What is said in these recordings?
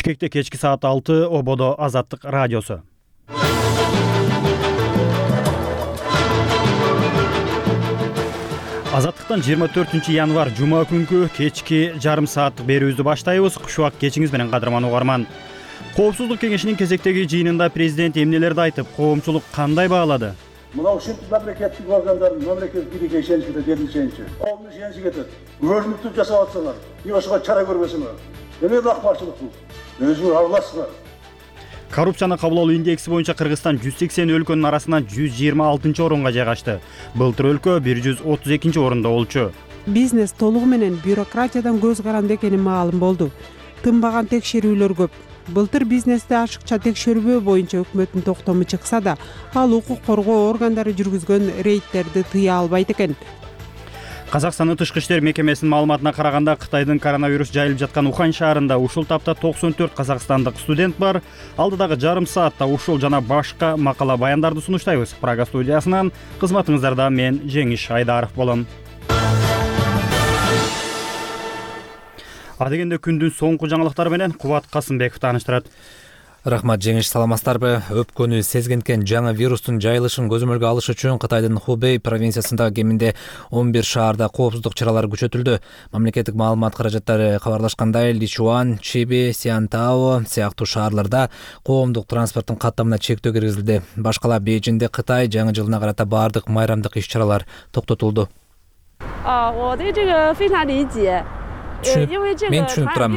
Бишкекте кечки саат 6 ободо Азаттык радиосу. Азаттыктан 24 январь жума күнкү кечки жарым сааттык берүүбүздү баштайбыз. Кушубак кечиңиз менен кадырман угарман. Коопсуздук кеңешинин кезектеги жыйынында президент эмнелерди айтып, коомчулук кандай баалады? Мына ушинтип мамлекеттик органдардын мамлекеттик бийликке ишеничи делин ишеничи. Коомдун ишеничи кетет. Көрүнүктүү жасап атсаңар, ошого чара көрбөсөңөр. Эмне акбарчылык бул? Өзүңөр аралашсыңар. Коррупцияны кабыл алуу индекси боюнча Кыргызстан 180 өлкөнүн арасынан 126 орунга жайгашты. Былтыр өлкө 132 орунда болчу. Бизнес толугу менен бюрократиядан көз каранды экени маалым болду. Тынбаган текшерүүлөр көп. Былтыр бизнести ашыкча текшербөө боюнча өкмөттүн токтому чыкса да, ал укук коргоо органдары жүргүзгөн рейдтерди тыя албайт экен. Казакстандын тышкы иштер мекемесинин маалыматына караганда, Кытайдын коронавирус жайылып жаткан Ухань шаарында ушул тапта 94 казакстандык студент бар. Алдыдагы жарым саатта ушул жана башка макала баяндарды сунуштайбыз. Прага студиясынан кызматыңыздарда мен Жеңиш Айдаров болом. Адегенде күндүн соңку жаңылыктары менен Кубат Касымбеков тааныштырат. Рахмат Жеңиш, саламатсыздарбы? Өпкөнү сезгенкен жаңы вирустун жайылышын көзөмөлгө алыш үчүн Кытайдын Хубей провинциясындагы кеминде 11 шаарда коопсуздук чаралары күчөтүлдү. Мамлекеттик маалымат каражаттары кабарлашкандай, Личуан, Чиби, Сиантао сыяктуу шаарларда коомдук транспорттун каттамына чектөө киргизилди. Башкала Бейжиңде Кытай жаңы жылына карата баардык майрамдык иш-чаралар токтотулду. Мен түшүнүп турам.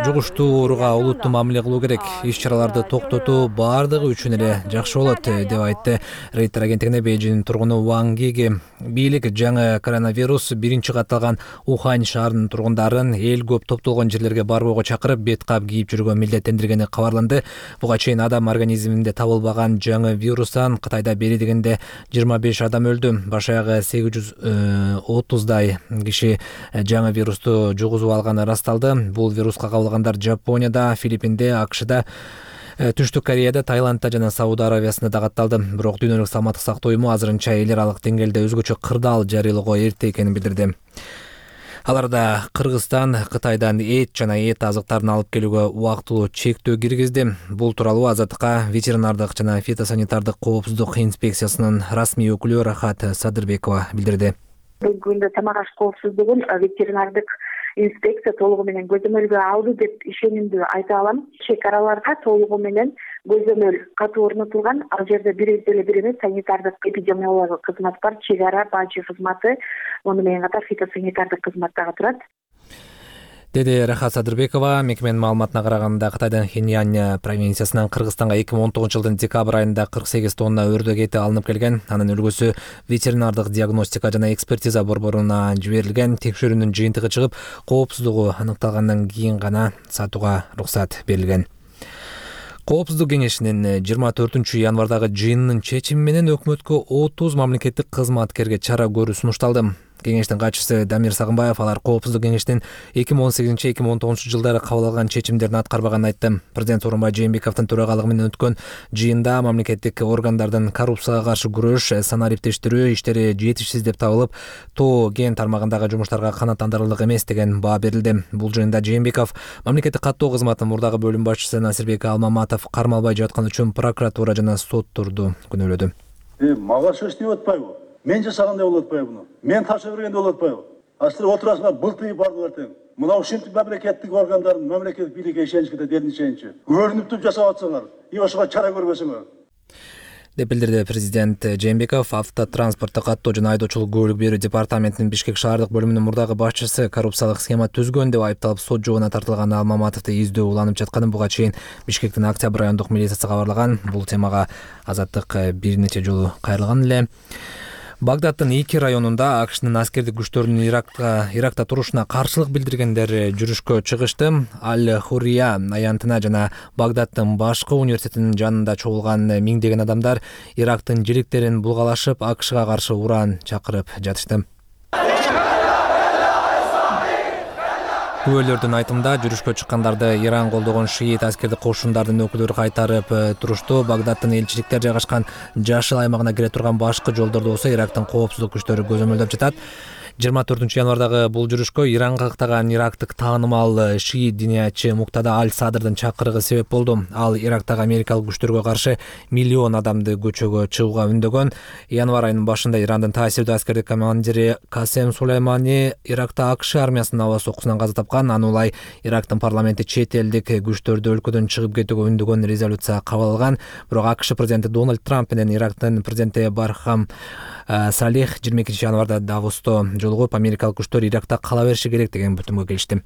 Жугуштуу ооруга олуттуу мамиле кылуу керек. Иш-чараларды токтотуу баардыгы үчүн эле жакшы болот, деп айтты Рейтер агенттигине Бейжиңдин тургуну Ван Гиги. Бийлик жаңы коронавирус биринчи катталган Ухань шаарынын тургундарын эл көп топтолгон жерлерге барбоого чакырып, бет кап кийип жүрүүгө милдеттендиргени кабарланды. Буга чейин адам организминде табылбаган жаңы вирустан Кытайда бери дегенде 25 адам өлдү. Баш аягы 830дай киши жаңы вирусту жугузуп алганы ырасталды. Бул вируска кабылгандар Жапонияда, Филиппинде, АКШда, Түштүк Кореяда, Таиландда жана Сауд Аравиясында да катталды. Бирок дүйнөлүк саламаттык сактоо уюму азырынча эл аралык деңгээлде өзгөчө кырдаал жарыялоого эрте экенин билдирди. Аларда Кыргызстан Кытайдан эт жана эт азыктарын алып келүүгө убактылуу чектөө киргизди. Бул тууралуу Азаттыкка ветеринардык жана фитосанитардык коопсуздук инспекциясынын расмий өкүлү Рахат Садырбекова билдирди. Бүгүнкү күндө тамак аш коопсуздугун ветеринардык инспекция толугу менен көзөмөлгө алды деп ишенимдүү айта алам. Чек араларда толугу менен көзөмөл катуу орнотулган. Ал жерде бир эмес санитардык эпидемиологиялык кызмат бар, чек ара бажы кызматы, муну менен катар фитосанитардык кызмат дагы турат. Деди Рахат Садырбекова. Мекеменин маалыматына караганда, Кытайдын Хиньян провинциясынан Кыргызстанга 2019 жылдын декабрь айында 48 тонна өрдөк эти алынып келген. Анын үлгүсү ветеринардык диагностика жана экспертиза борборуна жиберилген. Текшерүүнүн жыйынтыгы чыгып, коопсуздугу аныкталгандан кийин гана сатууга уруксат берилген. Коопсуздук кеңешинин 24 январдагы жыйынынын чечими менен өкмөткө 30 мамлекеттик кызматкерге чара көрүү сунушталды. Кеңештин катчысы Дамир Сагынбаев алар коопсуздук кеңешинин 2018-2019 жылдары кабыл алган чечимдерин аткарбаганын айтты. Президент Сооронбай Жээнбековдун төрагалыгы менен өткөн жыйында мамлекеттик органдардын коррупцияга каршы күрөш, санариптештирүү иштери жетишсиз деп табылып, ТО ген тармагындагы жумуштарга канааттандырарлык эмес деген баа берилди. Бул жыйында Жээнбеков мамлекеттик каттоо кызматынын мурдагы бөлүм башчысы Насирбек Алмаматов кармалбай жаткан үчүн прокуратура жана соттурду күнөөлөдү. Мага сөз деп атпайбы? Мен жасагандай болуп атпайбы буну? Мен тапшырып бергенде болуп атпайбы? Силер отурасыңар, былтыйып бардыңар тең. Мына ушинтип мамлекеттик органдардын мамлекеттик бийликке ишеничи делин ишеничи. Көрүнүптүү жасап атсаңар, ошого чара көрбөсөңөр. деп билдирди президент Жээнбеков. Автотранспорттук каттоо жана айдоочулук көлүк берүү департаментинин Бишкек шаардык бөлүмүнүн мурдагы башчысы коррупциялык схема түзгөн деп айыпталып сот жообуна тартылган Алмаматовду издөө уланып жатканын буга чейин Бишкектин Октябрь райондук милициясы кабарлаган. Бул темага Азаттык бир нече жолу кайрылган эле. Багдадтын Ики районунда АКШнын аскердик күчтөрүнүн Иракта турушуна каршылык билдиргендер жүрүшкө чыгышты. Аль-Хурия аянтына жана Багдадтын башкы университетинин жанында чогулган миңдеген адамдар Ирактын желектерин булгалашып, АКШга каршы уран чакырып жатышты. Күбөлөрдүн айтымында жүрүшкө чыккандарды Иран колдогон шиит аскердик кошундардын өкүлдөрү кайтарып турушту. Багдадтын элчиликтер жайгашкан жашыл аймагына кире турган башкы жолдордо болсо Ирактын коопсуздук күчтөрү көзөмөлдөп жатат. 24 январдагы бул жүрүшкө Иранга каттаган ирактык таанымал шиит диниячы Муктада Аль-Садрдын чакырыгы себеп болду. Ал Ирактагы америкалык күчтөргө каршы миллион адамды көчөгө чыгууга үндөгөн. Январь айынын башында Ирандын таасирдүү аскердик командири Касем Сулеймани Иракта АКШ армиясынын аба соккусунан каза тапкан. Аны улай Ирактын парламенти чет элдик күчтөрдү өлкөдөн чыгып кетүүгө үндөгөн резолюция кабыл алган. Бирок АКШ президенти Дональд Трамп менен Ирактын президенти Бархам Салих 22 январда Давосто жолугуп америкалык күчтөр Иракта кала бериши керек деген бүтүмгө келишти.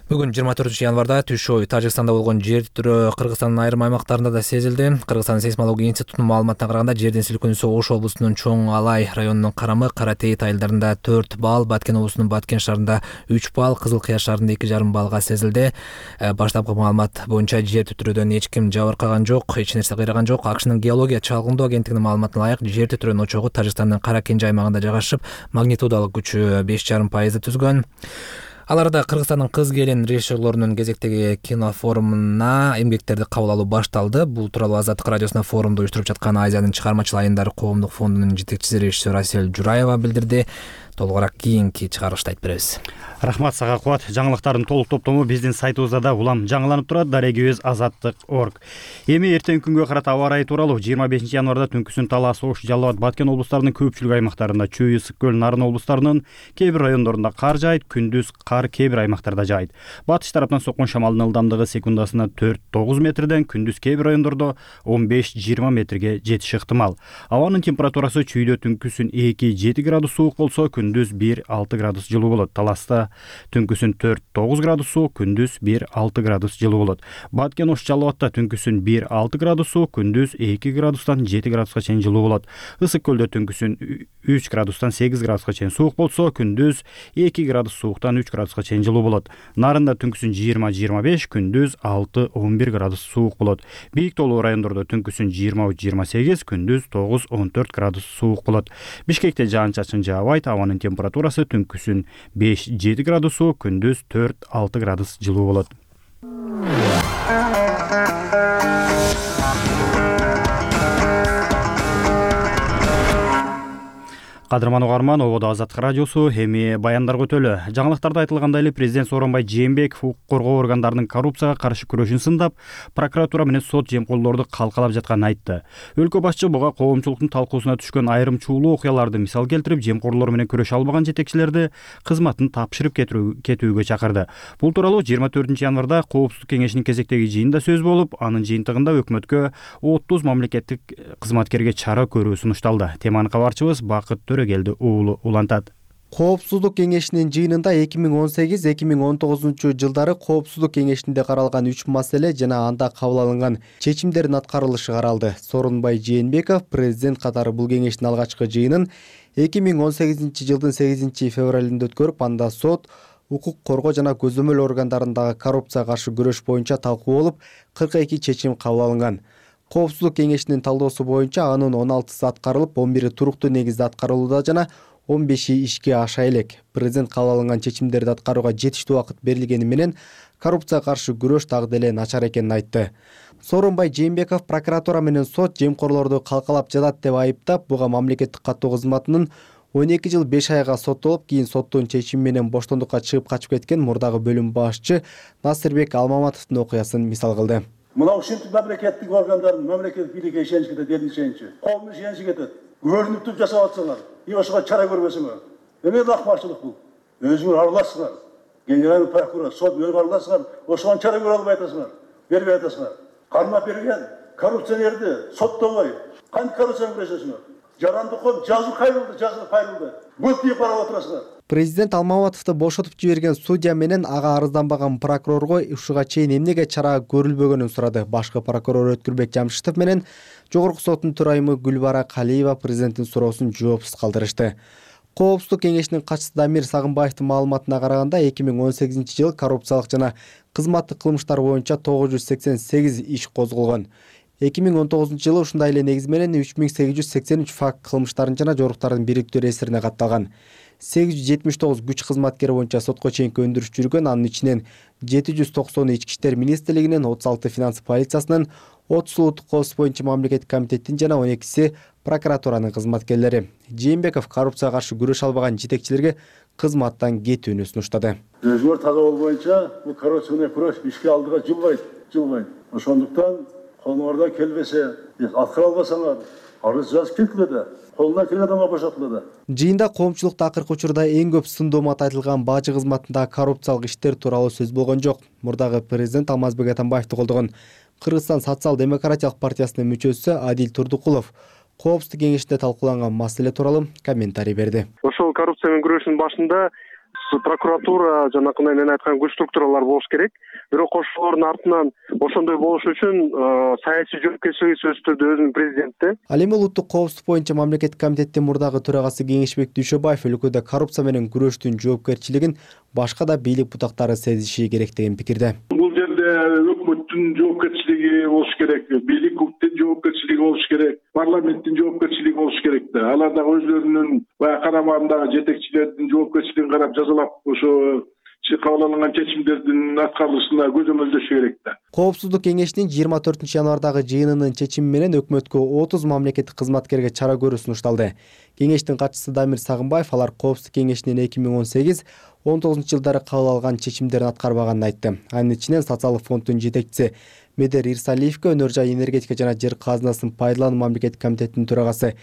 Бүгүн 24 январда түш ой Тажикстанда болгон жер титирөө Кыргызстандын айрым аймактарында да сезилди. Кыргызстан сейсмология институтунун маалыматына караганда жердин силкинүүсү Ош облусунун Чоң Алай районунун Карамы, Каратейит айылдарында 4 балл, Баткен облусунун Баткен шаарында 3 балл, Кызыл Кыя шаарында 2,5 баллга сезилди. Баштапкы маалымат боюнча жер титирөөдөн эч ким жабыркаган жок, эч нерсе кыйраган жок. АКШнын геология чалгындоо агенттигинин маалыматына ылайык, жер титирөөнүн очогу Тажикстандын Кара Кенже аймагында жайгашып, магнитудалык күчү 5,5% түзгөн. Аларда Кыргызстандын кыз келин режиссерлорунун кезектеги кинофорумуна эмгектерди кабыл алуу башталды. Бул тууралуу Азаттык радиосуна форумду уюштуруп жаткан Азиянын чыгармачыл айындары коомдук фондунун жетекчиси режиссер Асель Жураева билдирди. Толугураак кийинки чыгарылышта айтып беребиз. Рахмат сага Кубат. Жаңылыктардын толук топтому биздин сайтыбызда да улам жаңыланып турат. Дарегибиз azattik.org. Эми эртеңки күнгө карата аба ырайы тууралуу 25 январда түнкүсүн Талас, Ош, Жалал Абад, Баткен облустарынын көпчүлүк аймактарында, Чүй, Ысык көл, Нарын облустарынын кээ бир райондорунда кар жаайт, күндүз кар кээ бир аймактарда жаайт. Батыш тараптан соккон шамалдын ылдамдыгы секундасына 4-9 метрден, күндүз кээ бир райондордо 15-20 метрге жетиши ыктымал. Абанын температурасы Чүйдө түнкүсүн 2-7 градус суук болсо, күндүз 1-6 градус жылуу болот. Таласта түнкүсүн 4-9 градус суук, күндүз 1-6 градус жылуу болот. Баткен, Ош, Жалал Абадта түнкүсүн 1-6 градус суук, күндүз 2 градустан 7 градуска чейин жылуу болот. Ысык көлдө түнкүсүн 3 градустан 8 градуска чейин суук болсо, күндүз 2 градус сууктан 3 градуска чейин жылуу болот. Нарында түнкүсүн 20-25, күндүз 6-11 градус суук болот. Бийик тоолуу райондордо түнкүсүн 23-28, күндүз 9-14 градус суук болот. Бишкекте жаан-чачын жаабайт, абанын температурасы түнкүсүн 5-7 градус суук, күндүз 4-6 градус жылуу болот. Кадырман угарман, ободо Азаттык радиосу, эми баяндарга өтөлү. Жаңылыктарда айтылгандай эле президент Сооронбай Жээнбеков укук коргоо органдарынын коррупцияга каршы күрөшүн сындап, прокуратура менен сот жемкорлорду калкалап жатканын айтты. Өлкө башчы буга коомчулуктун талкуусуна түшкөн айрым чуулуу окуяларды мисал келтирип, жемкорлор менен күрөшө албаган жетекчилерди кызматын тапшырып кетүүгө чакырды. Бул тууралуу 24 январда Коопсуздук кеңешинин кезектеги жыйынында сөз болуп, анын жыйынтыгында өкмөткө 30 мамлекеттик кызматкерге чара көрүү сунушталды. Теманы кабарчыбыз Бакыт Төрөгелди уулу улантат. Коопсуздук кеңешинин жыйынында 2018-2019 жылдары Коопсуздук кеңешинде каралган 3 маселе жана анда кабыл алынган чечимдердин аткарылышы каралды. Сооронбай Жээнбеков президент катары бул кеңештин алгачкы жыйынын 2018 жылдын 8 февралында өткөрүп, анда сот, укук коргоо жана көзөмөл органдарындагы коррупцияга каршы күрөш боюнча талкуу болуп, 42 чечим кабыл алынган. Коопсуздук кеңешинин талдоосу боюнча анын 16сы аткарылып, 11 туруктуу негизде аткарылууда жана 15 ишке аша элек. Президент кабыл алынган чечимдерди аткарууга жетиштүү убакыт берилгени менен коррупцияга каршы күрөш дагы деле начар экенин айтты. Сооронбай Жээнбеков прокуратура менен сот жемкорлорду калкалап жатат деп айыптап, буга мамлекеттик каттоо кызматынын 12 жыл 5 айга соттолуп, кийин соттун чечими менен боштондукка чыгып качып кеткен мурдагы бөлүм башчы Насырбек Алмаматовдун окуясын мисал кылды. Мына ушинтип мамлекеттик органдардын мамлекеттик бийликке ишенич кетет, элдин ишеничи. Коомдун ишеничи кетет. Көрүнүп туруп жасап атсаңар, ошого чара көрбөсөңөр. Эме акмарчылык бул. Өзүңөр аралашсыңар. Генеральный прокурор, сот өзүңөр аралашсыңар, ошого чара көрө албай атасыңар. Бербей атасыңар. Кармап берген коррупционерди соттобой, кантип коррупцияны күрөшөсүңөр? Жарандыков жазуу кайрылды. Бул тип карап отурасыңар. Президент Алмаматовду бошотуп жиберген судья менен ага арызданбаган прокурорго ушуга чейин эмнеге чара көрүлбөгөнүн сурады. Башкы прокурор Өткүрбек Жамшитов менен Жогорку соттун төрайымы Гүлбара Калиева президенттин суроосун жоопсуз калтырышты. Коопсуздук кеңешинин катчысы Дамир Сагынбаевдин маалыматына караганда 2018 жылы коррупциялык жана кызматтык кылмыштар боюнча 988 иш козголгон. 2019 жылы ушундай эле негиз менен 3883 факт кылмыштардын жана жоруктардын бириктүү эсирине катталган. 879 күч кызматкери боюнча сотко чейинки өндүрүш жүргөн. Анын ичинен 790 Ички иштер министрлигинин, 36 финанс полициясынын, 30 улуттук коопсуздук боюнча мамлекеттик комитеттин жана 12 прокуратуранын кызматкерлери. Жээнбеков коррупцияга каршы күрөш албаган жетекчилерге кызматтан кетүүнү сунуштады. Өзгөр таза болуу боюнча бул коррупцияны күрөш ишке алдыга жылбайт. Ошондуктан колуңардан келбесе, аткара албасаңар, арыз жазып кеткиле да, колунан келген адамга бошотуле да. Жыйында коомчулукта акыркы учурда эң көп сындоомат айтылган бажы кызматындагы коррупциялык иштер тууралуу сөз болгон жок. Мурдагы президент Алмазбек Атамбаевди колдогон Кыргызстан социал-демократиялык партиясынын мүчөсү Адил Турдукулов коопсуздук кеңешинде талкууланган маселе тууралуу комментарий берди. Ошол коррупция менен күрөшүнүн башында прокуратура жанакындай мен айткан күч структуралар болуш керек. Бирок ошолордун артынан ошондой болуш үчүн саясий жоопкерчилиги сөзсүз түрдө өзүнүн президентте. Ал эми улуттук коопсуздук боюнча мамлекеттик комитеттин мурдагы төрагасы Кеңешбек Дүйшөбаев өлкөдө коррупция менен күрөштүн жоопкерчилигин башка да бийлик бутактары сезиши керек деген пикирде. Бул жерде өкмөттүн жоопкерчилиги болуш керек, бийликтин жоопкерчилиги болуш керек, парламенттин жоопкерчилиги болуш керек да. Алар дагы өзлөрүнүн баягы карамагындагы жетекчилердин жоопкерчилигин карап жазалап, ошо кабыл алынган чечимдердин аткарылышына көзөмөлдөшү керек да. Коопсуздук кеңешинин 24 январдагы жыйынынын чечими менен өкмөткө 30 мамлекеттик кызматкерге чара көрүү сунушталды. Кеңештин катчысы Дамир Сагынбаев алар Коопсуздук кеңешинин 2018-19 жылдары кабыл алган чечимдерин аткарбаганын айтты. Анын ичинен социалдык фонддун жетекчиси Медер Ирсалиевке, өнөр жай энергетика жана жер казынасын пайдалануу мамлекеттик комитетинин төрагасы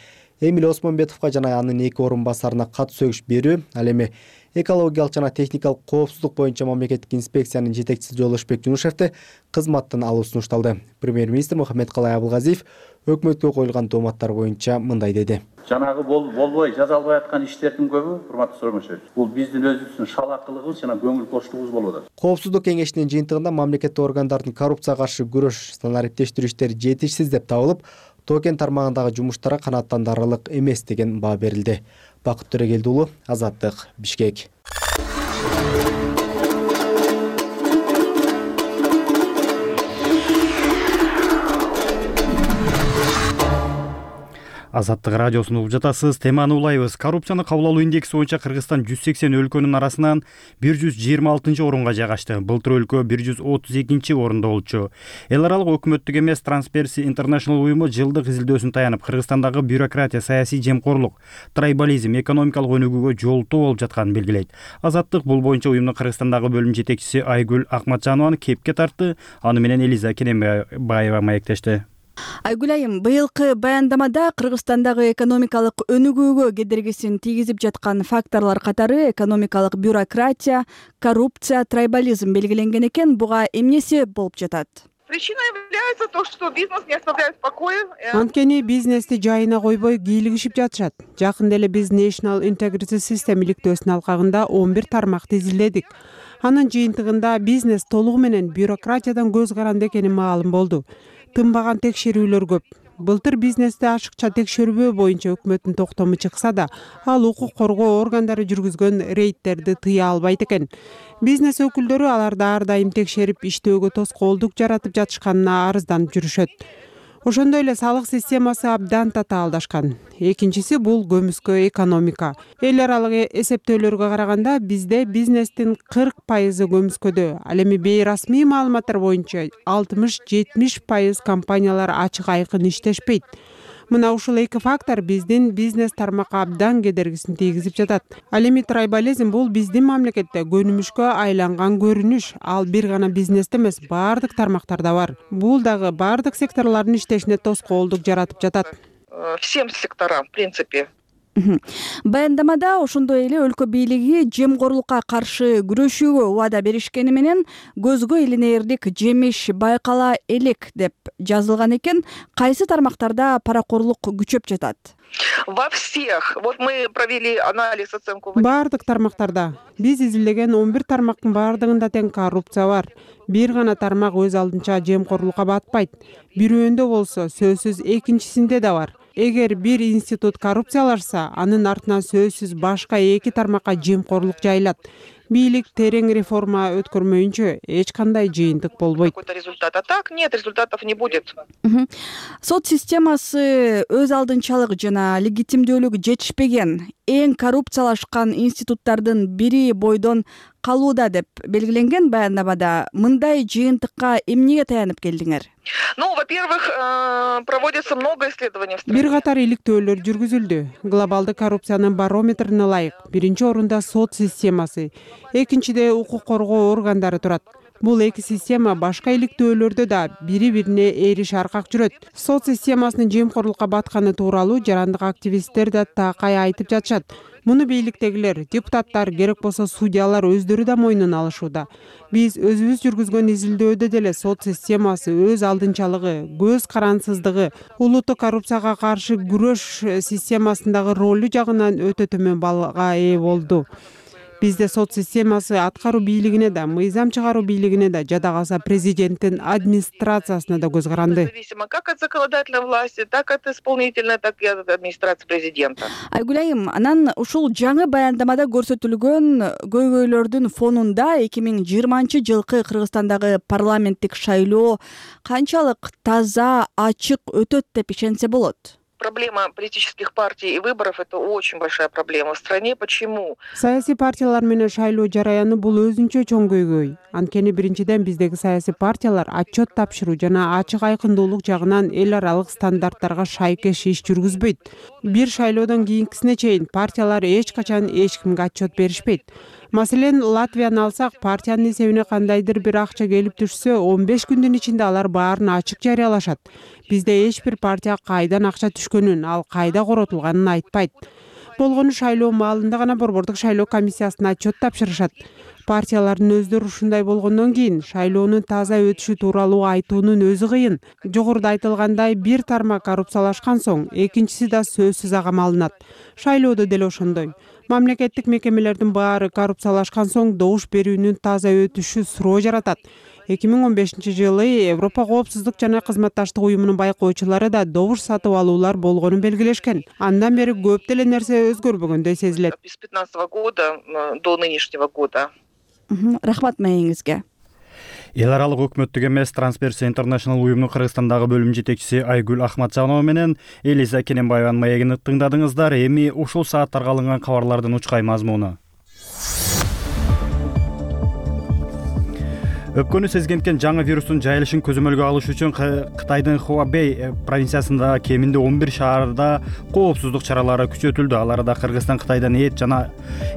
Эмиль Осмонбетовго жана анын 2 орун басарына кат сөгүш берүү, ал эми экологиялык жана техникалык коопсуздук боюнча мамлекеттик инспекциянын жетекчиси Жолошбек Жунушевди кызматтан алуу сунушталды. Премьер-министр Мухаммедкалай Абылгазиев өкмөткө коюлган дооматтар боюнча мындай деди. Жанагы болбой жазалбай аткан иштердин көбү, урматтуу Сооронбашевич, бул биздин өзүбүздүн шалакылыгыбыз жана көңүл боштугубуз болуп атат. Коопсуздук кеңешинин жыйынтыгында мамлекеттик органдардын коррупцияга каршы күрөш санариптештирүү иштери жетишсиз деп табылып, токен тармагындагы жумуштара канааттандырарлык эмес деген баа берилди. Бакыт Төрөгелди уулу, Азаттык, Бишкек. Азаттык радиосун угуп жатасыз. Теманы улайбыз. Коррупцияны кабыл алуу индекси боюнча Кыргызстан 180 өлкөнүн арасынан 126 орунга жайгашты. Былтыр өлкө 132 орунда болчу. Эл аралык өкмөттүк эмес Transparency International уюму жылдык изилдөөсүн таянып, Кыргызстандагы бюрократия, саясий жемкорлук, трайбализм, экономикалык өнүгүүгө жолтоо болуп жатканын белгилейт. Азаттык бул боюнча уюмдун Кыргызстандагы бөлүм жетекчиси Айгүл Акматжанованы кепке тартты. Аны менен Элиза Кенембаева маектешти. Айгүл айым, быйылкы баяндамада Кыргызстандагы экономикалык өнүгүүгө кедергисин тийгизип жаткан факторлор катары экономикалык бюрократия, коррупция, трайбализм белгиленген экен. Буга эмне себеп болуп жатат? Причиной является то, что бизнес не оставляет в покое. Анткени бизнести жайына койбой кийлигишип жатышат. Жакында эле биз National Integrity System иликтөөсүнүн алкагында 11 тармакты изилдедик. Анын жыйынтыгында бизнес толугу менен бюрократиядан көз каранды экени маалым болду. Тынбаган текшерүүлөр көп. Былтыр бизнести ашыкча текшербөө боюнча өкмөттүн токтому чыкса да, ал укук коргоо органдары жүргүзгөн рейдтерди тыя албайт экен. Бизнес өкүлдөрү аларды ар дайым текшерип, иштөөгө тоскоолдук жаратып жатышканына арызданып жүрүшөт. Ошондой эле салык системасы абдан татаалдашкан. Экинчиси бул көмүскө экономика. Эл аралык эсептөөлөргө караганда бизде бизнестин 40% көмүскөдө. Ал эми бейрасмий маалыматтар боюнча 60-70% компаниялар ачык айкын иштешпейт. Мына ушул эки фактор биздин бизнес тармакка абдан кедергисин тийгизип жатат. Ал эми трайбализм бул биздин мамлекетте көнүмүшкө айланган көрүнүш. Ал бир гана бизнесте эмес, баардык тармактарда бар. Бул дагы баардык секторлордун иштешине тоскоолдук жаратып жатат. Всем секторам, в принципе. Баяндамада ошондой эле өлкө бийлиги жемкорлукка каршы күрөшүүгө убада беришкени менен көзгө илинээрлик жемиш байкала элек деп жазылган экен. Кайсы тармактарда паракорлук күчөп жатат? Во всех. Вот мы провели анализ, оценку. Баардык тармактарда. Биз изилдеген 11 тармактын баардыгында тең коррупция бар. Бир гана тармак өз алдынча жемкорлукка батпайт. Бирөөндө болсо сөзсүз экинчисинде да бар. Эгер бир институт коррупциялашса, анын артынан сөзсүз башка эки тармакка жемкорлук жайылат. Бийлик терең реформа өткөрмөйүнчө эч кандай жыйынтык болбойт. Какой-то результат. А так нет, результатов не будет. Сот системасы өз алдынчалык жана легитимдүүлүгү жетишпеген. эң коррупциялашкан институттардын бири бойдон калууда деп белгиленген баяндамада мындай жыйынтыкка эмнеге таянып келдиңер? Во-первых, проводится много исследований. Бир катар иликтөөлөр жүргүзүлдү. Глобалдык коррупциянын барометрине ылайык биринчи орунда сот системасы, экинчиде укук коргоо органдары турат. Бул эки система башка иликтөөлөрдө да бири-бирине ээриш аркак жүрөт. Сот системасынын жемкорлукка батканы тууралуу жарандык активисттер да такай айтып жатышат. Муну бийликтегилер, депутаттар, керек болсо судьялар өздөрү да мойнуна алышууда. Биз өзүбүз жүргүзгөн изилдөөдө деле сот системасы өз алдынчалыгы, көз карансыздыгы, улуттук коррупцияга каршы күрөш системасындагы ролу жагынан өтө төмөн баллга ээ болду. Бизде сот системасы аткаруу бийлигине да, мыйзам чыгаруу бийлигине да, жада калса президенттин администрациясына да көз каранды. Зависимо как от законодательной власти, так от исполнительной, так и от администрации президента. Айгүл айым, анан ушул жаңы баяндамада көрсөтүлгөн көйгөйлөрдүн фонунда 2020-жылкы Кыргызстандагы парламенттик шайлоо канчалык таза, ачык өтөт деп ишенсе болот? Проблема политических партий и выборов – это очень большая проблема в стране. Почему? Саясий партиялар менен шайлоо жараяны бул өзүнчө чоң көйгөй. Анткени биринчиден биздеги саясий партиялар отчет тапшыруу жана ачык айкындуулук жагынан эл аралык стандарттарга шайкеш иш жүргүзбөйт. Бир шайлоодон кийинкисине чейин партиялар эч качан эч кимге отчет беришпейт. Маселен, Латвияны алсак, партиянын эсебине кандайдыр бир акча келип түшсө, 15 күндүн ичинде алар баарын ачык жарыялашат. Бизде эч бир партия кайдан акча түшкөнүн, ал кайда коротулганын айтпайт. Болгону шайлоо маалында гана борбордук шайлоо комиссиясына отчет тапшырышат. Партиялардын өздөрү ушундай болгондон кийин шайлоонун таза өтүшү тууралуу айтуунун өзү кыйын. Жогоруда айтылгандай, бир тармак коррупциялашкан соң, экинчиси да сөзсүз ага малынат. Шайлоодо деле ошондой. Мамлекеттик мекемелердин баары коррупциялашкан соң добуш берүүнүн таза өтүшү суроо жаратат. 2015-жылы Европа коопсуздук жана кызматташтык уюмунун байкоочулары да добуш сатып алуулар болгонун белгилешкен. Андан бери көп деле нерсе өзгөрбөгөндөй сезилет. С 2015 года до нынешнего года. Рахмат маегиңизге. Эл аралык өкмөттүк эмес Transparency International уюмунун Кыргызстандагы бөлүм жетекчиси Айгүл Ахматжанова менен Элиза Кененбаеванын маегин тыңдадыңыздар. Эми ушул сааттарга алынган кабарлардын учкай мазмуну. Өпкөнү сезгенкен жаңы вирустун жайылышын көзөмөлгө алыш үчүн Кытайдын Хубэй провинциясында кеминде 11 шаарда коопсуздук чаралары күчөтүлдү. Аларда Кыргызстан Кытайдан эт жана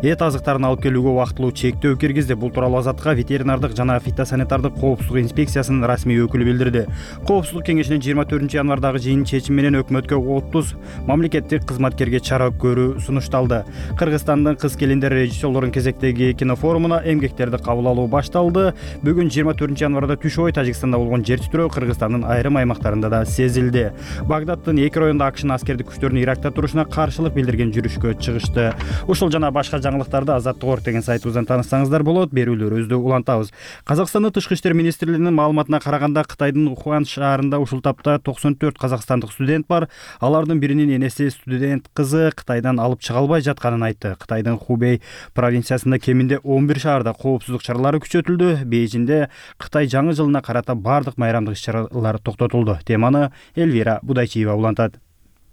эт азыктарын алып келүүгө убактылуу чектөө киргизди. Бул тууралуу Азаттыкка ветеринардык жана фитосанитардык коопсуздук инспекциясынын расмий өкүлү билдирди. Коопсуздук кеңешинин 24 январдагы жыйын чечими менен өкмөткө 30 мамлекеттик кызматкерге чара көрүү сунушталды. Кыргызстандын кыз-келиндер режиссерлорунун кезектеги кинофорумуна эмгектерди кабыл алуу башталды. Бүгүн 24 январда түш ой Тажикстанда болгон жер титирөө Кыргызстандын айрым аймактарында да сезилди. Багдадтын 2 районунда АКШнын аскердик күчтөрүнүн Иракта турушуна каршылык билдирген жүрүшкө чыгышты. Ушул жана башка жаңылыктарды Азаттык.орг деген сайтыбыздан тааныссаңыздар болот. Берүүлөрүбүздү улантабыз. Казакстандын тышкы иштер министрлигинин маалыматына караганда Кытайдын Ухань шаарында ушул тапта 94 казакстандык студент бар. Алардын биринин энеси студент кызы Кытайдан алып чыга албай жатканын айтты. Кытайдын Хубэй провинциясында кеминде 11 шаарда коопсуздук чаралары күчөтүлдү. Бейжиңде Кытай жаңы жылына карата бардык майрамдык иш-чаралар токтотулду. Теманы Элвира Будайчиева улантат.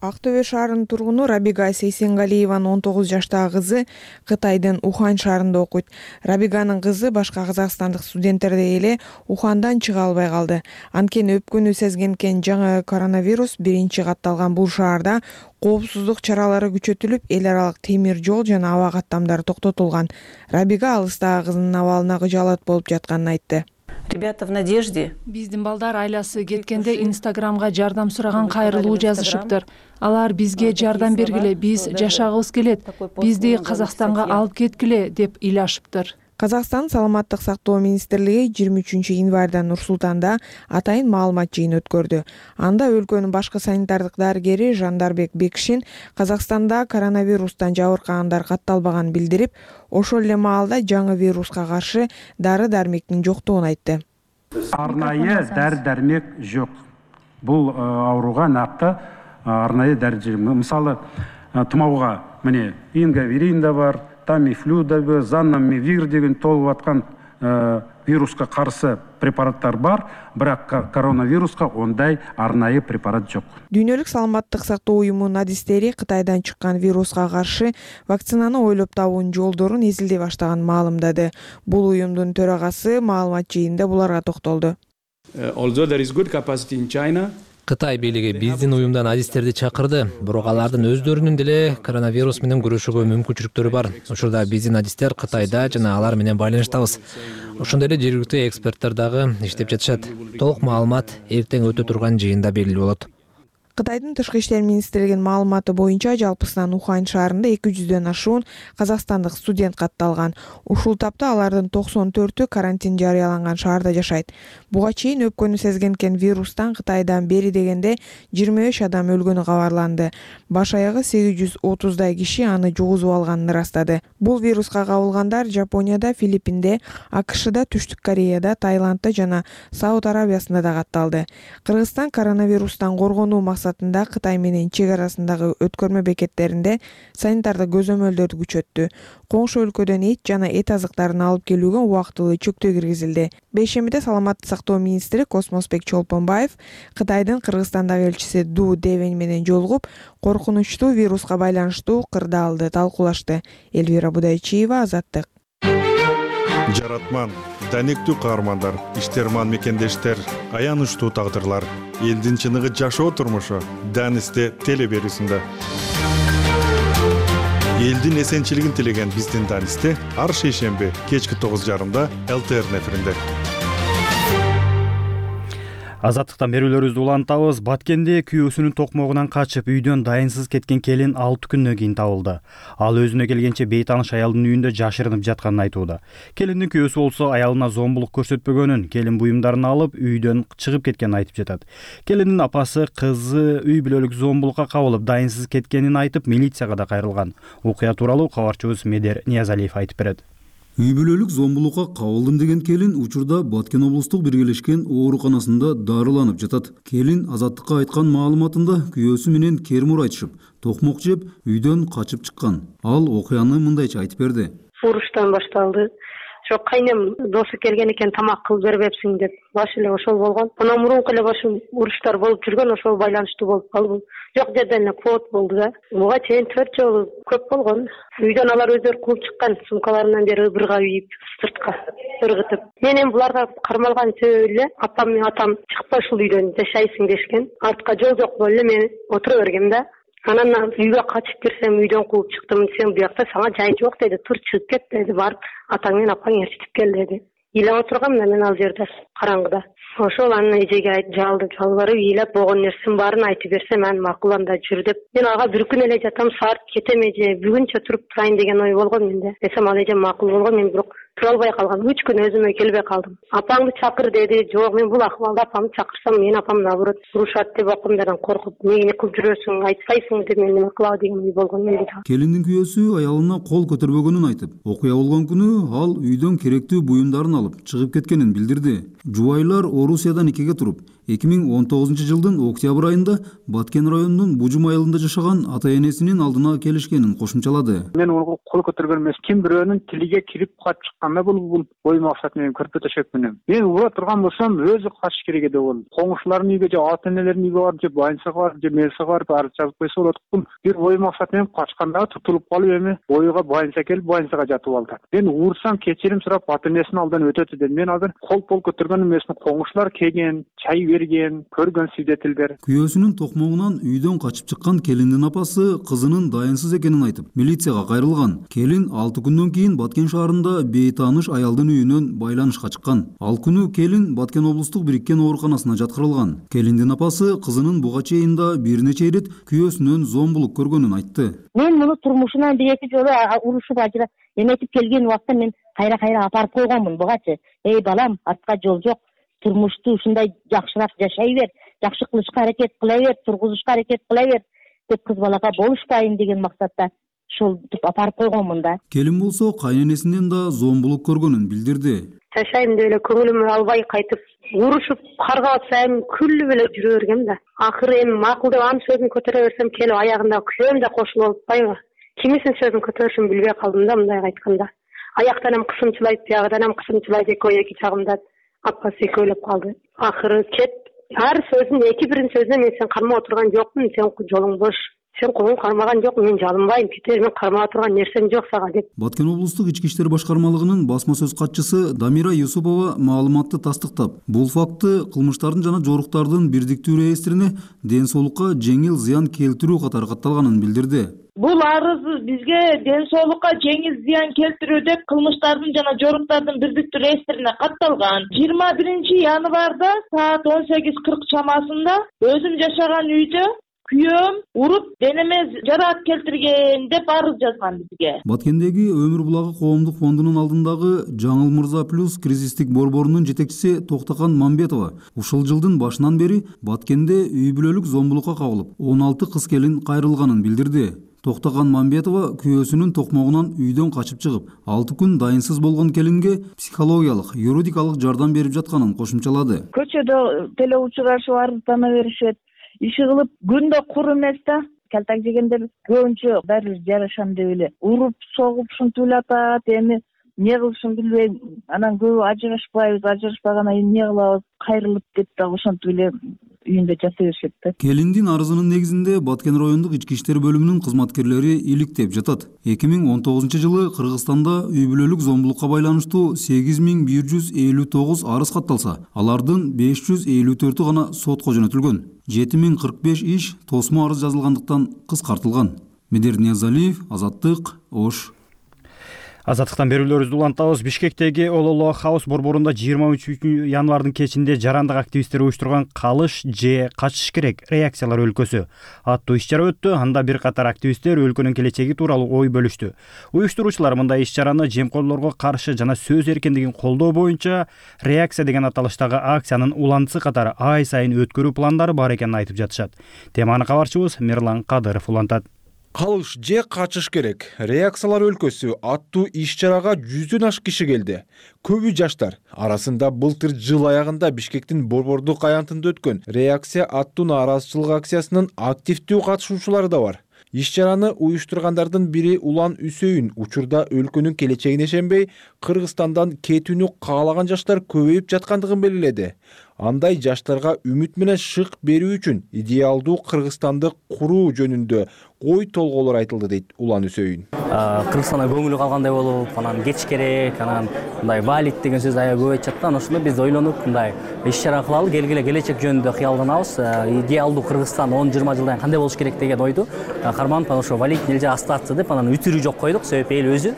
Ак Төбө шаарынын тургуну Рабига Сейсенгалиеванын 19 жаштагы кызы Кытайдын Ухань шаарында окуйт. Рабиганын кызы башка казакстандык студенттердей эле Ухандан чыга албай калды. Анткени өпкөнү сезгенкен жаңы коронавирус биринчи катталган бул шаарда коопсуздук чаралары күчөтүлүп, эл аралык темир жол жана аба каттамдары токтотулган. Рабига алыстагы кызынын абалына кыжаалат болуп жатканын айтты. Ребята в надежде. Биздин балдар айласы кеткенде Инстаграмга жардам сураган кайрылуу жазышыптыр. Алар бизге жардам бергиле, биз жашагыбыз келет, бизди Казакстанга алып кеткиле деп ыйлашыптыр. Казакстан саламаттык сактоо министрлиги 23 январда Нур-Султанда атайын маалымат жыйыны өткөрдү. Анда өлкөнүн башкы санитардык дарыгери Жандарбек Бекшин Казакстанда коронавирустан жабыркагандар катталбаганын билдирип, ошол эле маалда жаңы вируска каршы дары-дармектин жоктугун айтты. Арнайы дары-дармек жок. Бул ооруга накты арнайы дары. Мисалы, тумоого ингаверин да бар, Тамифлю да бар, Заннамивир деген толуп аткан вируска каршы препараттар бар, бирок коронавируска ондай арнайы препарат жок. Дүйнөлүк саламаттык сактоо уюмунун адистери Кытайдан чыккан вируска каршы вакцинаны ойлоп табуунун жолдорун изилдей баштаганын маалымдады. Бул уюмдун төрагасы маалымат жыйынында буларга токтолду. Кытай бийлиги биздин уюмдан адистерди чакырды, бирок алардын өздөрүнүн деле коронавирус менен күрөшүүгө мүмкүнчүлүктөрү бар. Учурда биздин адистер Кытайда жана алар менен байланыштабыз. Ошондой эле жергиликтүү эксперттер дагы иштеп жатышат. Толук маалымат эртең өтө турган жыйында белгилүү болот. Кытайдын тышкы иштер министрлигинин маалыматы боюнча жалпысынан Ухань шаарында 200дөн ашуун казакстандык студент катталган. Ушул тапта алардын 94-ү карантин жарыяланган шаарда жашайт. Буга чейин өпкөнү сезген экен вирустан Кытайдан бери дегенде 25 адам өлгөнү кабарланды. Баш аягы 830дай киши аны жугузуп алганын ырастады. Бул вируска кабылгандар Жапонияда, Филиппинде, АКШда, Түштүк Кореяда, Таиландда жана Сауд Арабиясында да катталды. Кыргызстан коронавирустан коргонуу максатында Кытай менен чек арасындагы өткөрмө бекеттеринде санитардык көзөмөлдөрдү күчөттү. Коңшу өлкөдөн эт жана эт азыктарын алып келүүгө убактылуу чектөө киргизилди. Бейшембиде саламаттык сактоо министри Космосбек Чолпонбаев Кытайдын Кыргызстандагы элчиси Ду Девень менен жолугуп, коркунучтуу вируска байланыштуу кырдаалды талкуулашты. Элвира Будайчиева, Азаттык. Жаратман, данектүү каармандар, иштерман мекендештер, аянычтуу тагдырлар, элдин чыныгы жашоо турмушу Данисте телеберүүсүндө. Элдин эсенчилигин тилеген биздин Данисте ар шейшемби кечки 9:30 ЛТР эфиринде. Азаттыктан берүүлөрүбүздү улантабыз. Баткенде күйөөсүнүн токмогунан качып үйдөн дайынсыз кеткен келин 6 күндөн кийин табылды. Ал өзүнө келгенче бейтааныш аялдын үйүндө жашырынып жатканын айтууда. Келиндин күйөөсү болсо аялына зомбулук көрсөтпөгөнүн, келин буюмдарын алып үйдөн чыгып кеткенин айтып жатат. Келиндин апасы кызы үй бүлөлүк зомбулукка кабылып дайынсыз кеткенин айтып милицияга да кайрылган. Окуя тууралуу кабарчыбыз Медер Ниязалиев айтып берет. Үй бүлөлүк зомбулукка кабылдым деген келин учурда Баткен облустук биргелешкен ооруканасында дарыланып жатат. Келин Азаттыкка айткан маалыматында күйөөсү менен кермур айтышып, токмок жеп, үйдөн качып чыккан. Ал окуяны мындайча айтып берди. Уруштан башталды. Жок, кайнем досу келген экен, тамак кылып бербепсиң деп. Баш эле ошол болгон. Анан мурунку эле башым уруштар болуп жүргөн, ошол байланыштуу болуп калды. Жок жерден эле код болду да. Буга чейин 4 жолу көп болгон. Үйдөн алар өздөрү кууп чыккан, сумкаларынан бери ыбырга үйүп, сыртка ыргытып. Мен эми буларга кармалган себеби эле апам менен атам чыкпа ушул үйдөн жашайсың дешкен. Артка жол жок болуп эле мен отура бергем да. Анан үйгө качып кирсем үйдөн кууп чыктым. Сен буякта сага жай жок деди. Тур чыгып кет деди. Барып атаң менен апаң ээрчитип кел деди. Ыйлап отургам да мен ал жерде караңгыда. Ошол анын эжеге жалбарып ыйлап болгон нерсенин баарын айтып берсем анан макул анда жүр деп. Мен ага бир күн эле жатам, саат кетем эже, бүгүнчө туруп турайын деген ой болгон менде. Десем ал эже макул болгон, мен бирок тура албай калгам. 3 күн өзүмө келбей калдым. Апаңды чакыр деди. Жок, мен бул акыбалда апамды чакырсам, мен апам наоборот урушат деп акымдардан коркуп, эмне кылып жүрөсүң, айтпайсың деп мен неме кылабы деген ой болгон менде. Келиндин күйөөсү аялына кол көтөрбөгөнүн айтып, окуя болгон күнү ал үйдөн керектүү буюмдарын алып чыгып кеткенин билдирди. Жубайлар Орусиядан никеге туруп, 2019-жылдын октябрь айында Баткен районунун Бужум айылында жашаган ата-энесинин алдына келишкенин кошумчалады. Мен ого кол көтөргөн эмес, ким бирөөнүн тилиге кирип качып чыкканда бул ой максат менен көрпө төшөк менен. Мен ура турган болсом, өзү качыш керек эди бул. Коңшулардын үйгө же ата-энелердин үйгө барып, же больницага барып, же мелсага барып арыз жазып койсо болот. Бул бир ой максат менен качканда тутулуп калып эми ойга больница келип, больницага жатып алды. Мен уурсам кечирим сурап ата-энесинин алдынан өтөт дедим. Мен азыр кол көтөргөн эмесмин. Коңшулар келген, чай берген, көргөн свидетелдер. Күйөөсүнүн токмогунан үйдөн качып чыккан келиндин апасы кызынын дайынсыз экенин айтып, милицияга кайрылган. Келин 6 күндөн кийин Баткен шаарында бейтааныш аялдын үйүнөн байланышка чыккан. Ал күнү келин Баткен облустук бириккен ооруканасына жаткырылган. Келиндин апасы кызынын буга чейин да бир нече ирет күйөөсүнөн зомбулук көргөнүн айтты. Мен муну турмушунан 1-2 жолу урушуп ажырап эметип келген убакта мен кайра апарып койгонмун бугачы. Эй балам, артка жол жок. Турмушту ушундай жакшыраак жашай бер, жакшы кылышка аракет кыла бер, тургузушка аракет кыла бер деп кыз балага болушпайын деген максатта ушултуп апарып койгонмун да. Келин болсо кайненесинен да зомбулук көргөнүн билдирди. Жашайм деп эле көңүлүм албай кайтып, урушуп каргап атсам күлүп эле жүрө бергем да. Акыры эми макул деп анын сөзүн көтөрө берсем, келип аягында күйөөм да кошулуп атпайбы. Кимисинин сөзүн көтөрүшүн билбей калдым да мындай айтканда. аяктан ham кысымчылайт, биягыдан ham кысымчылайт, эки жагымда апасы экөөлөп калды. Акыры кет. Ар сөзүн, бирин сөзүнө мен сен кармап отурган жокмун, сен жолуң бош. Сен колуң кармаган жок, мен жалынбайм, кетер, мен кармап отурган нерсем жок сага деп. Баткен облустук ички иштер башкармалыгынын басма сөз катчысы Дамира Юсупова маалыматты тастыктап, бул факты кылмыштардын жана жоруктардын бирдиктүү реестрине ден соолукка жеңил зыян келтирүү катары катталганын билдирди. Бул арыз бизге ден соолукка жеңил зыян келтирүү деп кылмыштардын жана жоруктардын бирдиктүү реестрине катталган. 21 январда саат 18:40 чамасында өзүм жашаган үйдө күйөөм уруп денеме жараат келтирген деп арыз жазган бизге. Баткендеги Өмүр булагы коомдук фондунун алдындагы Жаңыл Мырза плюс кризистик борборунун жетекчиси Токтакан Мамбетова ушул жылдын башынан бери Баткенде үй бүлөлүк зомбулукка кабылып, 16 кыз келин кайрылганын билдирди. Токтакан Мамбетова күйөөсүнүн токмогунан үйдөн качып чыгып, 6 күн дайынсыз болгон келинге психологиялык, юридикалык жардам берип жатканын кошумчалады. Көчөдө телеучурашып арыздана беришет. Иши кылып күндө кур эмес да, калтак жегендер көбүнчө баары жарашам деп эле уруп согуп ушинтип эле атат. Эми эмне кылышын билбейм. Анан көбү ажырашпайбыз, ажырашпагандан кийин эмне кылабыз, кайрылып деп дагы ошентип эле үйүндө жата беришет да. Келиндин арызынын негизинде Баткен райондук ички иштер бөлүмүнүн кызматкерлери иликтеп жатат. 2019 Кыргызстанда үй бүлөлүк зомбулукка байланыштуу 8159 арыз катталса, алардын 554 гана сотко жөнөтүлгөн. 7045 иш тосмо арыз жазылгандыктан кыскартылган. Медер Ниязалиев, Азаттык, Ош. Азаттыктан берүүлөрүбүздү улантабыз. Бишкектеги Ололо Хаус борборунда 23 январдын кечинде жарандык активисттер уюштурган «Калыш же качыш керек» реакциялар өлкөсү аттуу иш-чара өттү. Анда бир катар активисттер өлкөнүн келечеги тууралуу ой бөлүштү. Уюштуруучулар мындай иш-чараны жемкорлорго каршы жана сөз эркиндигин колдоо боюнча реакция деген аталыштагы акциянын уланысы катары ай сайын өткөрүү пландары бар экенин айтып жатышат. Теманы кабарчыбыз Мирлан Кадыров улантат. Калыш же качыш керек? Реакциялар өлкөсү аттуу иш-чарага 100дөн ашык киши келди. Көбү жаштар. Арасында былтыр жыл аягында Бишкектин борбордук аянтында өткөн реакция аттуу нааразычылык акциясынын активдүү катышуучулары да бар. Иш-чараны уюштургандардын бири Улан Үсөйүн учурда өлкөнүн келечегине ишенбей, Кыргызстандан кетүүнү каалаган жаштар көбөйүп жаткандыгын белгиледи. Андай жаштарга үмүт менен шык берүү үчүн идеалдуу Кыргызстанды куруу жөнүндө ой толголор айтылды дейт Улан Үсөйүн. Кыргызстанда көңүлү калгандай болуп, анан кеч керек, анан мындай валит деген сөз аябай көп айтышат да. Ошондо биз ойлонуп, мындай иш-чара кылалы, келгиле келечек жөнүндө кыялданабыз. Идеалдуу Кыргызстан 10-20 жылдан кандай болуш керек деген ойду карманып, ошо валит элже остаться деп, анан үтүрүү жок койдук. Себеби эл өзү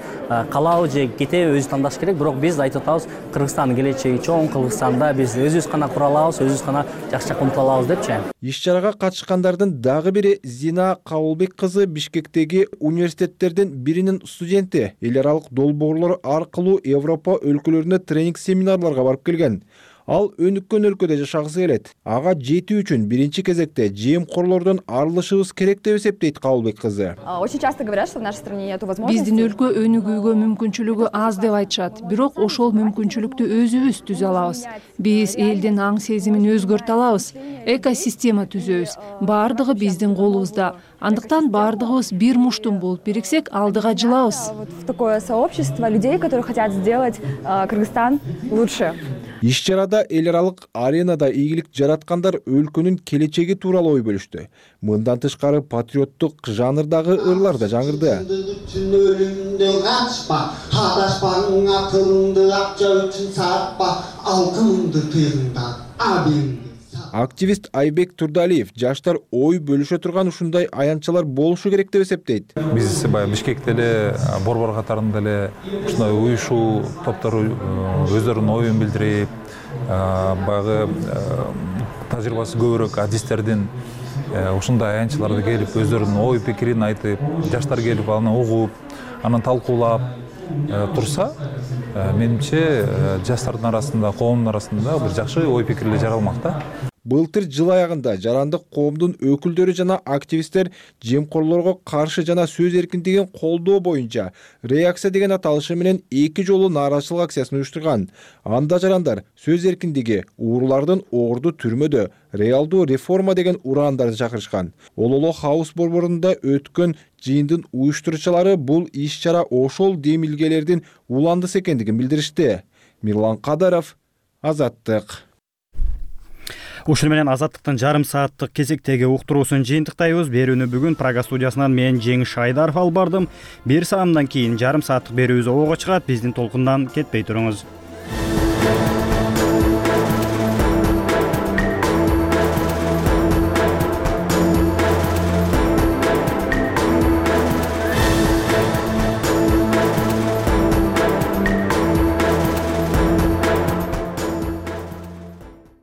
калабы же кетеби өзү тандаш керек. Бирок биз айтып атабыз, Кыргызстандын келечеги чоң, Кыргызстанда биз өзүбүз гана кура алабыз, өзүбүз гана жакшы умтула алабыз депчи. Иш-чарага катышкандардын дагы бири Зина Кабылбек кызы Бишкектеги университеттердин биринин студенти. Эл аралык долбоорлор аркылуу Европа өлкөлөрүнө тренинг семинарларга барып келген. Ал өнүккөн өлкөдө жашагысы келет. Ага жетүү үчүн биринчи кезекте жемкорлордон арылышыбыз керек деп эсептейт Кабылбек кызы. Очень часто говорят, что в нашей стране нету возможности. Биздин өлкө өнүгүүгө мүмкүнчүлүгү аз деп айтышат. Бирок ошол мүмкүнчүлүктү өзүбүз түзө алабыз. Биз элдин аң сезимин өзгөртө алабыз. Экосистема түзөбүз. Баардыгы биздин колубузда. Андыктан баардыгыбыз бир муштум болуп бириксек, алдыга жылабыз. В такое сообщество людей, которые хотят сделать Кыргызстан лучше. Иш-чарада эл аралык аренада ийгилик жараткандар өлкөнүн келечеги тууралуу ой бөлүштү. Мындан тышкары патриоттук жанрдагы ырлар да жаңырды. Активист Айбек Турдалиев жаштар ой бөлүшө турган ушундай аянтчалар болушу керек деп эсептейт. Биз баягы Бишкекте эле борбор катарында эле ушундай уюшуу топтор өздөрүнүн оюн билдирип, баягы тажрыйбасы көбүрөөк адистердин ушундай аянтчаларды келип өздөрүнүн ой пикирин айтып, жаштар келип аны угуп, анан талкуулап турса, менимче жаштардын арасында, коомдун арасында бир жакшы ой пикирлер жаралмак да. былтыр жыл аягында жарандык коомдун өкүлдөрү жана активисттер жемкорлорго каршы жана сөз эркиндигин колдоо боюнча реакция деген аталышы менен 2 жолу нааразычылык акциясын уюштурган. Анда жарандар сөз эркиндиги, уурулардын орду түрмөдө, реалдуу реформа деген ураандарды чакырышкан. Ололо хаус борборунда өткөн жыйындын уюштуруучулары бул иш-чара ошол демилгелердин уландысы экендигин билдиришти. Мирлан Кадаров, Азаттык. Ушуну менен Азаттыктын жарым сааттык кезектеги уктуруусун жыйынтыктайбыз. Берүүнү бүгүн Прага студиясынан мен Жеңиш Айдаров алып бардым. 1 саамдан кийин жарым сааттык берүүбүз обого чыгат. Биздин толкундан кетпей туруңуз.